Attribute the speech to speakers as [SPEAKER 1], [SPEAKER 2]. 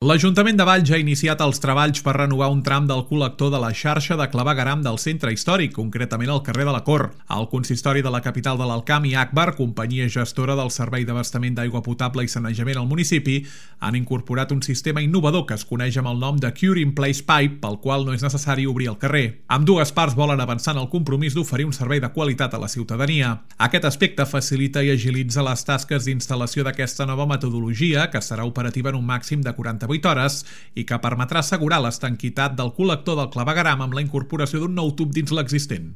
[SPEAKER 1] L'Ajuntament de Valls ha iniciat els treballs per renovar un tram del col·lector de la xarxa de clavegueram del centre històric, concretament al carrer de la Cor. El consistori de la capital de l'Alt Camp i Agbar, companyia gestora del servei d'abastament d'aigua potable i sanejament al municipi, han incorporat un sistema innovador que es coneix amb el nom de Cure-in-Place Pipe, pel qual no és necessari obrir el carrer. Ambdues parts volen avançar en el compromís d'oferir un servei de qualitat a la ciutadania. Aquest aspecte facilita i agilitza les tasques d'instal·lació d'aquesta nova metodologia, que serà operativa en un màxim de 48 hores i que permetrà assegurar l'estanquitat del col·lector del clavegueram amb la incorporació d'un nou tub dins l'existent.